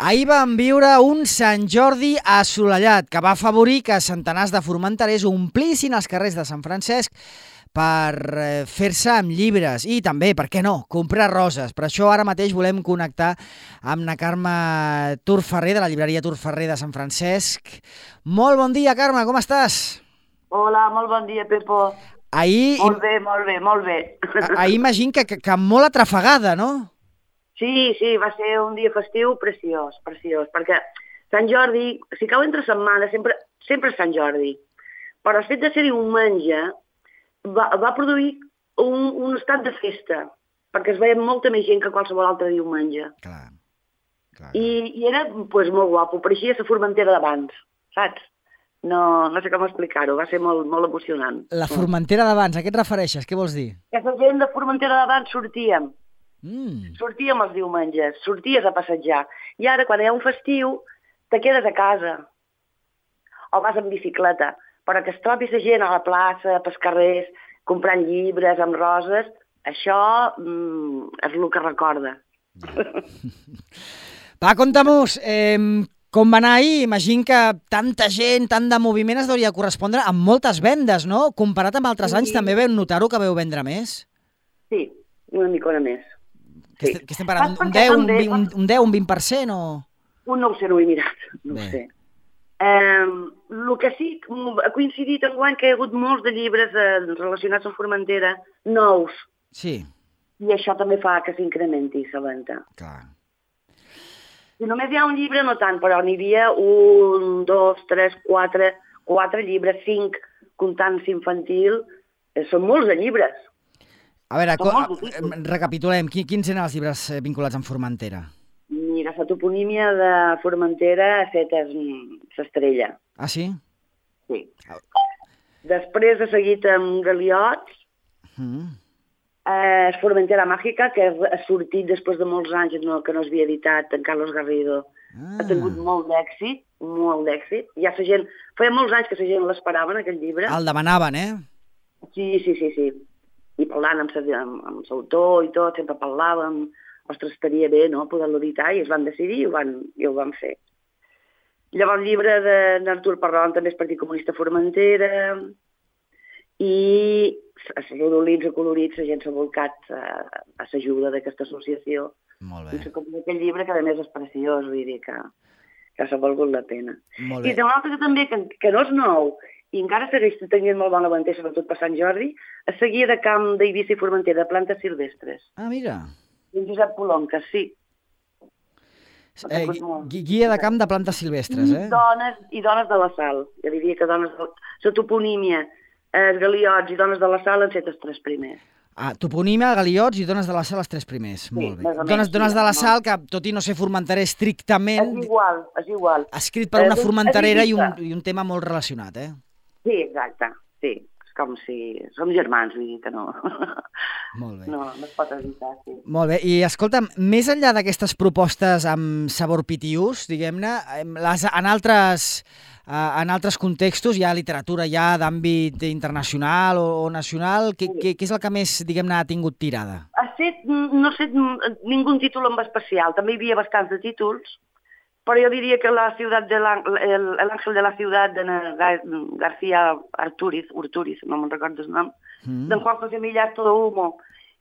Ahir vam viure un Sant Jordi assolellat que va afavorir que centenars de formenterers omplissin els carrers de Sant Francesc per fer-se amb llibres i també, per què no, comprar roses. Per això ara mateix volem connectar amb na Carme Turferrer, de la llibreria Turferrer de Sant Francesc. Molt bon dia, Carme, com estàs? Hola, molt bon dia, Pepo. Ahir... Molt bé. Ahir imagino que molt atrafegada, no? Sí, va ser un dia festiu preciós, perquè Sant Jordi, si cau entre setmana, sempre és Sant Jordi, però el fet de ser diumenge va produir un estat de festa, perquè es veia molta més gent que qualsevol altre diumenge. Clar. I era molt guapo, pareixia la Formentera d'abans, saps? No sé com explicar-ho, va ser molt emocionant. La Formentera d'abans, a què et refereixes? Què vols dir? Que la gent de Formentera d'abans sortíem. Sortíem els diumenges, sorties a passejar. I ara, quan hi ha un festiu, te quedes a casa. O vas amb bicicleta. Però que es trobi la gent a la plaça, pels carrers, comprant llibres amb roses, això és el que recorda. Va, conta-mos, com va anar ahir? Imagino que tanta gent, tant de moviment es hauria de correspondre amb moltes vendes, no? Comparat amb altres anys, també veu notar-ho que veu vendre més? Sí, una micona més. Que estem parlant un 10, un 20% o...? No ho sé, no ho he mirat, no ho sé. El que sí ha coincidit enguany que hi ha hagut molts de llibres relacionats amb Formentera nous. Sí. I això també fa que s'incrementi la venda. Clar. Si només hi ha un llibre, no tant, però n'hi havia 1, 2, 3, 4 llibres, 5, comptant infantil. Són molts de llibres. A veure, recapitulem. Quins eren els llibres vinculats amb Formentera? Mira, la toponímia de Formentera ha fet l'estrella. Ah, sí? Sí. Després ha seguit amb Galiots, Formentera Màgica, que ha sortit després de molts anys que no s'havia editat, en Carlos Garrido. Ha tingut molt d'èxit. Ja la gent... Feia molts anys que la gent l'esperaven, aquest llibre. El demanaven, eh? Sí. I parlant amb l'autor i tot, sempre parlàvem, ostres, estaria bé, no?, poder-lo editar, i es van decidir i ho van fer. Llavors, el llibre d'Artur Parrón també és Partit Comunista Formentera, i els rodolins acolorits, la gent s'ha volcat a l'ajuda d'aquesta associació. Molt bé. I com aquell llibre que a més és preciós, vull dir que s'ha valgut la pena. Molt bé. I té un altre que també, que no és nou, i encara segueix tenint molt bona venda, sobretot per Sant Jordi, es seguia de camp d'Eivissa i Formentera, de plantes silvestres. Ah, mira. I en Josep Polonca, sí. Guia de camp de plantes silvestres, eh? I dones de la Sal. Jo diria que dones de la toponímia, els Galiots i dones de la Sal han set els 3 primers. Ah, toponímia, Galiots i dones de la Sal els 3 primers. Sí, molt bé. Dones de la Sal, que tot i no ser formenterer estrictament... És igual. Escrit per una formenterera i un tema molt relacionat, eh? Sí, exacte, sí. És com si som germans, vull dir que no. Molt bé. No es pot evitar, sí. Molt bé, i escolta'm, més enllà d'aquestes propostes amb sabor pitiús, diguem-ne, en altres contextos, hi ha literatura ja d'àmbit internacional o nacional, què és el que més, diguem-ne, ha tingut tirada? No sé ningú títol en especial, també hi havia bastants de títols, però jo diria que la ciutat el Ángel de la ciutat de García Urtúriz, no me'n recordo el nom, d'en Juan José Millás, Todo Humo,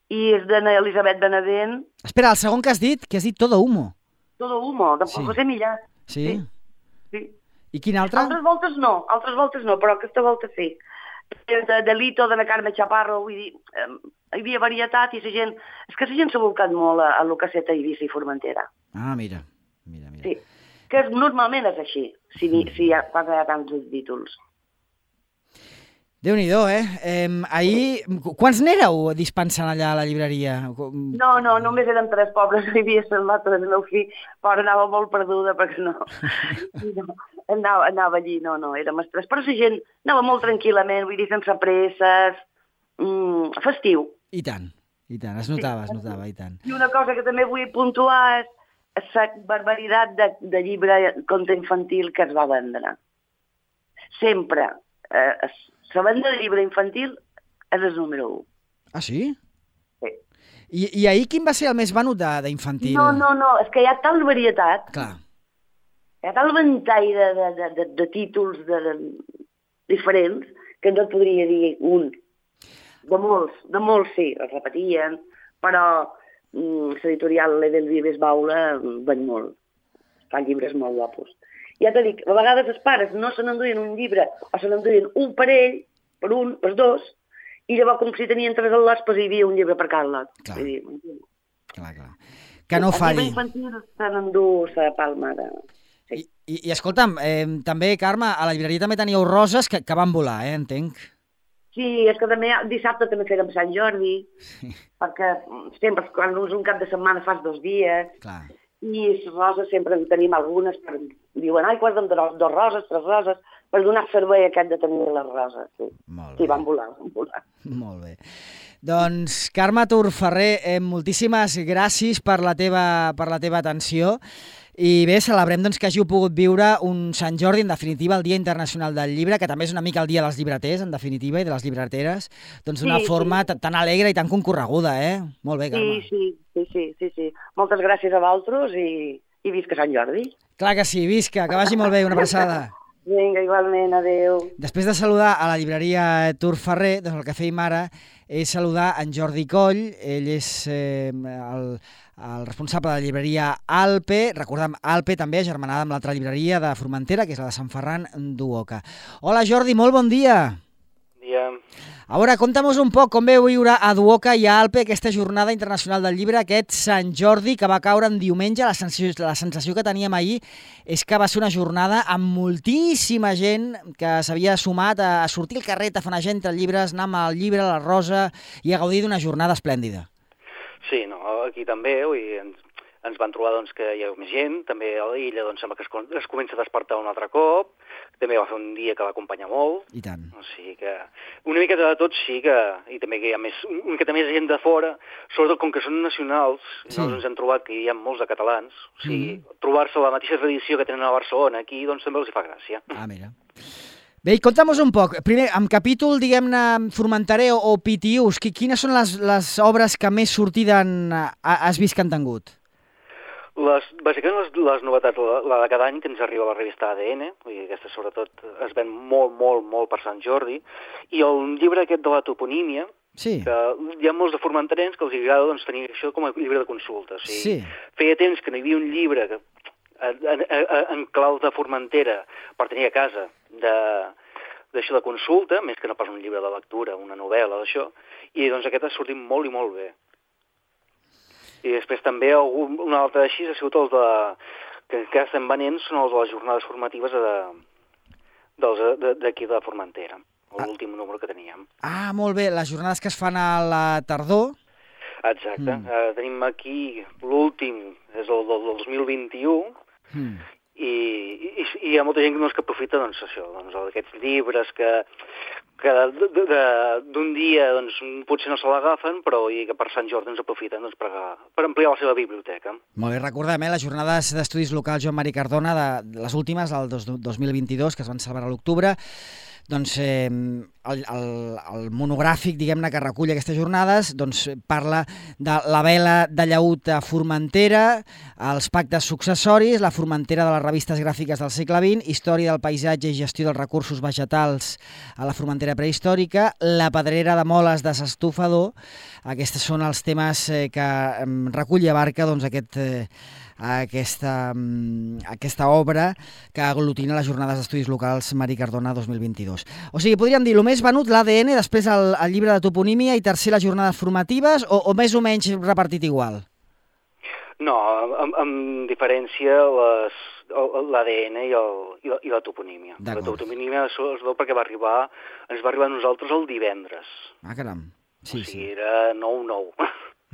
i és d'Elisabet Benavent. Espera, el segon que has dit Todo Humo. Todo Humo, d'en Juan José Millás. Sí? Sí. I quin altre? Altres voltes no, però aquesta volta sí. De Lito, de la Carme Chaparro, vull dir, hi havia varietat i la gent... És que la gent s'ha volcat molt a lo que ha set a Eivissa i Formentera. Ah, mira. Sí, que normalment és així, si hi ha tants títols. Déu-n'hi-do, Ahir, quants n'éreu dispensant allà a la llibreria? No, només eren 3 pobres, hi havia l'altre del meu fill, però anava molt perduda perquè no anava allí, no, érem els 3, però la gent anava molt tranquil·lament, vull dir, sense presses, festiu. I tant, es notava, i tant. I una cosa que també vull puntuar és la barbaritat de llibre conte infantil que es va vendre. Sempre. La venda de llibre infantil és el número 1. Ah, sí? Sí. I ahir quin va ser el més venut d'infantil? No, és que hi ha tal varietat. Clar. Hi ha tal ventall de títols diferents que no et podria dir un. De molts sí, es repetien, però l'editorial l'Edelvives Baula ven molt. Fan llibres molt guapos. Ja t'ho dic, a vegades els pares no se n'enduien un llibre o se n'enduien un parell, per dos, i llavors com si tenien 3 al·lots, doncs hi havia un llibre per cada lot. Clar. Que no falli. El llibre infantil se n'endú la palma de... Sí. I escolta'm, també, Carme, a la llibreria també teníeu roses que van volar, entenc. Sí, és que també dissabte també fèrem Sant Jordi, perquè sempre, quan és un cap de setmana fas 2 dies, clar. I les roses sempre en tenim algunes, diuen, ai, guarda'm 2 roses, 3 roses, per donar servei aquest de tenir les roses. Sí, sí, van volar. Molt bé. Doncs, Carme Turferrer, moltíssimes gràcies per la teva atenció. I bé, celebrem doncs, que hàgiu pogut viure un Sant Jordi, en definitiva, el Dia Internacional del Llibre, que també és una mica el dia dels llibreters, en definitiva, i de les llibreteres, doncs d'una forma tan alegre i tan concorreguda, eh? Molt bé, Carme. Sí. Moltes gràcies a vosaltres i visca Sant Jordi. Clar que sí, visca, que vagi molt bé, una abraçada. Vinga, igualment, adeu. Després de saludar a la llibreria Turferrer, doncs el que fèiem ara és saludar en Jordi Coll, ell és el responsable de la llibreria Alpe, recordem, Alpe també agermanada amb l'altra llibreria de Formentera, que és la de Sant Ferran d'Uoca. Hola Jordi, molt bon dia. Bon dia. A veure, conta'm-nos un poc com veu viure a Duoca i a Alpe aquesta jornada internacional del llibre, aquest Sant Jordi que va caure en diumenge. La sensació que teníem ahir és que va ser una jornada amb moltíssima gent que s'havia sumat a sortir al carrer, a tafanejar entre llibres, anar amb el llibre, la rosa i a gaudir d'una jornada esplèndida. Sí, no, aquí també, ens van trobar doncs, que hi ha més gent, també a l'illa doncs, sembla que es comença a despertar un altre cop, també va fer un dia que va acompanyar molt. I tant. O sigui que una miqueta de tot sí que, i també que hi ha una miqueta més gent de fora, sobretot com que són nacionals, sí. Doncs ens hem trobat que hi ha molts de catalans, o sigui, trobar-se la mateixa tradició que tenen a Barcelona aquí, doncs també els hi fa gràcia. Ah, mira. Bé, i conta'm-nos un poc, primer, amb capítol, diguem-ne, formenterè o pitius, quines són les obres que més sortida has vist que han tingut? Bàsicament les novetats, la de cada any que ens arriba a la revista ADN, i aquesta sobretot es ven molt per Sant Jordi, i el llibre aquest de la toponímia, sí. Que hi ha molts de formenterens que els agrada doncs, tenir això com a llibre de consulta. O sigui, feia temps que no hi havia un llibre en clau de Formentera per tenir a casa d'això de consulta, més que no pas un llibre de lectura, una novel·la d'això, i doncs aquest ha sortit molt i molt bé. I després també un altre així ha sigut els que estem venent, són els de les jornades formatives d'aquí de Formentera, l'últim número que teníem. Ah, molt bé, les jornades que es fan a la tardor. Exacte, tenim aquí l'últim, és el del 2021, i hi ha molta gent que aprofita doncs, això, doncs, aquests llibres que d'un dia doncs, potser no se l'agafen, però i que per Sant Jordi ens aprofiten doncs, per ampliar la seva biblioteca. Molt bé, recordem, les jornades d'estudis locals Joan Mari Cardona, de les últimes, del 2022, que es van celebrar a l'octubre, doncs el monogràfic, diguem-ne, que recull aquestes jornades, doncs parla de la vela de llaüt a Formentera, els pactes successoris, la Formentera de les revistes gràfiques del segle XX, història del paisatge i gestió dels recursos vegetals a la Formentera prehistòrica, la pedrera de moles de s'estufador. Aquests són els temes que recull i abarca doncs, aquesta obra que aglutina les jornades d'estudis locals Mari Cardona 2022. O sigui, podríem dir, el més venut l'ADN, després el llibre de toponímia i tercer les jornades formatives, o més o menys repartit igual? No, amb diferència l'ADN i la toponímia. La toponímia es veu perquè ens va arribar a nosaltres el divendres. Ah, caram. Sí, o sigui, era 9-9.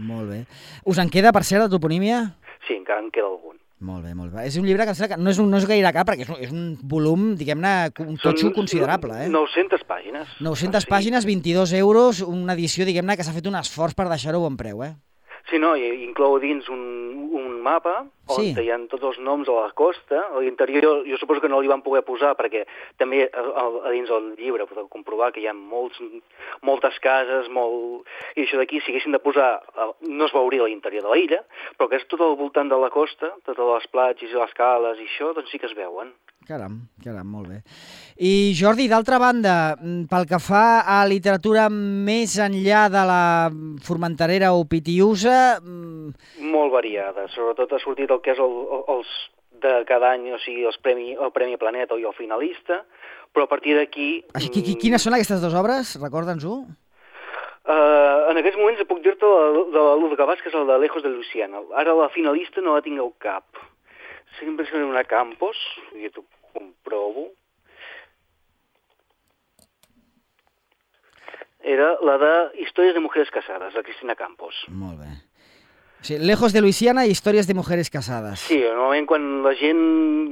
Molt bé. Us en queda, per cert, la toponímia? Sí, encara en queda algun. Molt bé, molt bé. És un llibre que no és gaire cap, perquè és un volum, diguem-ne, un totxo considerable. 900 pàgines. 900 pàgines, 22 euros, una edició, diguem-ne, que s'ha fet un esforç per deixar-ho a bon preu, eh? Sí, no, i inclou dins un mapa on hi ha tots els noms a la costa. A l'interior jo suposo que no li van poder posar perquè també a dins del llibre podeu comprovar que hi ha moltes cases, i això d'aquí, si haguessin de posar, no es veuria a l'interior de l'illa, però que és tot al voltant de la costa, totes les platges i les cales i això, doncs sí que es veuen. Caram, molt bé. I Jordi, d'altra banda, pel que fa a literatura més enllà de la formenterera o pitiusa... Molt variada, sobretot ha sortit el que és els de cada any, o sigui, el Premi Planeta i el finalista, però a partir d'aquí... Quines són aquestes dues obres? Recorda'ns-ho. En aquests moments puc dir-te de l'Uz Gavàs, que és el de Lejos de Luisiana. Ara la finalista no la tinc al cap. Sempre és una Campos, jo t'ho comprovo. Era la de Històries de Mujeres Casades, de Cristina Campos. Molt bé. O sigui, Lejos de Luisiana i Històries de Mujeres Casades. Sí, normalment quan la gent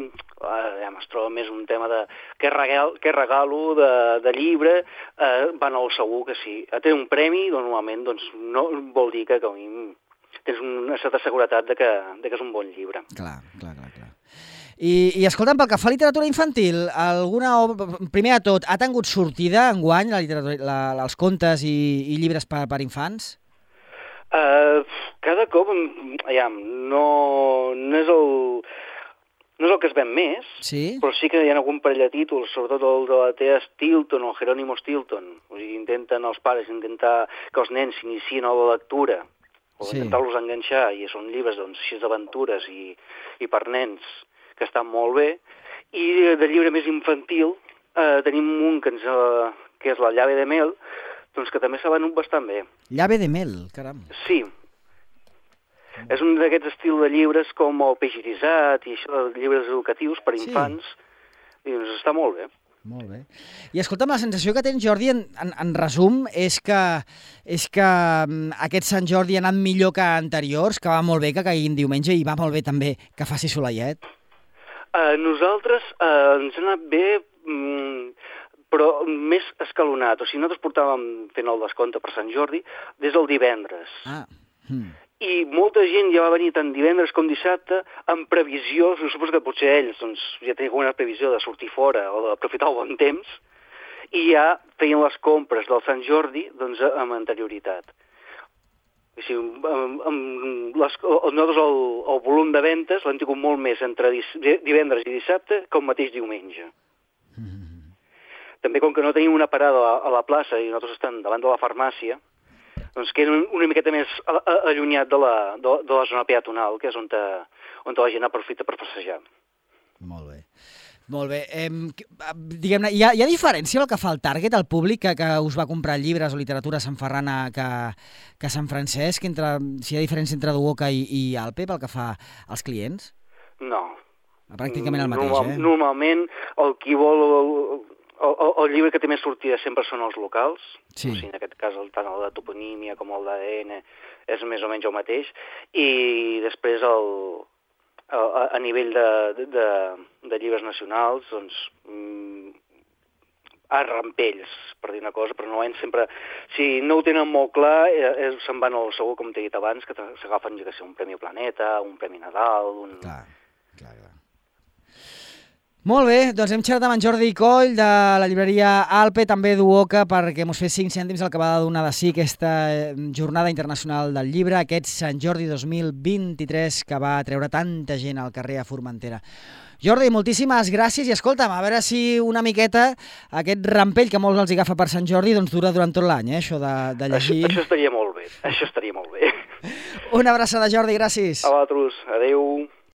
es troba més un tema de què regalo de llibre, van al segur que sí. Té un premi, normalment, doncs no vol dir que tens una certa seguretat que és un bon llibre. Clar. I escolta'm, pel que fa a literatura infantil, primer de tot, ha tingut sortida enguany els contes i llibres per infants? Cada cop, no és el que es ven més, però sí que hi ha algun parell de títols, sobretot el de la Thea Stilton o Jerónimo Stilton. O sigui, els pares intentar que els nens s'iniciïn a la lectura, o intentar-los enganxar, i són llibres així d'aventures i per nens, que estan molt bé. I de llibre més infantil tenim un que és la Llave de Mel, doncs que també s'ha venut bastant bé. Llave de Mel, caram. Sí. És un d'aquests estils de llibres com el Peix irisat i això, llibres educatius per infants, i doncs està molt bé. Molt bé. I escolta'm, la sensació que tens, Jordi, en resum, és que aquest Sant Jordi ha anat millor que anteriors, que va molt bé que caiguin diumenge i va molt bé també que faci soleiet. Nosaltres ens ha anat bé, però més escalonat. O sigui, nosaltres portàvem fent el descompte per Sant Jordi des del divendres. I molta gent ja va venir tant divendres com dissabte amb previsió, suposo que potser ells ja tenien una previsió de sortir fora o d'aprofitar el bon temps, i ja feien les compres del Sant Jordi amb anterioritat. O sigui, nosaltres el volum de ventes l'hem tingut molt més entre divendres i dissabte que el mateix diumenge. També com que no tenim una parada a la plaça i nosaltres estem davant de la farmàcia, doncs queda una miqueta més allunyat de la zona peatonal, que és on la gent aprofita per passejar. Molt bé. Molt bé. Diguem-ne, hi ha diferència el que fa el target, el públic que us va comprar llibres o literatura a Sant Ferran que a Sant Francesc, si hi ha diferència entre Duoca i Alpe pel que fa als clients? No. Pràcticament el mateix, Normalment, el qui vol... El llibre que té més sortida sempre són els locals, o sigui, en aquest cas tant el de toponímia com el d'ADN és més o menys el mateix, i després a nivell de llibres nacionals, doncs, a rampells, per dir una cosa, però no sempre... Si no ho tenen molt clar, se'n van al segur, com t'he dit abans, que s'agafen, ja que sé, un Premi Planeta, un Premi Nadal... Clar. Molt bé, doncs hem xerrat amb en Jordi Coll de la llibreria Alpe, també Duoca, perquè mos fes 5 cèntims el que va donar de sí aquesta Jornada Internacional del Llibre, aquest Sant Jordi 2023 que va treure tanta gent al carrer a Formentera. Jordi, moltíssimes gràcies i escolta'm, a veure si una miqueta aquest rampell que molts els agafa per Sant Jordi doncs dura durant tot l'any, això de llegir. Això estaria molt bé, això estaria molt bé. Una abraçada, Jordi, gràcies. A vosaltres, adeu.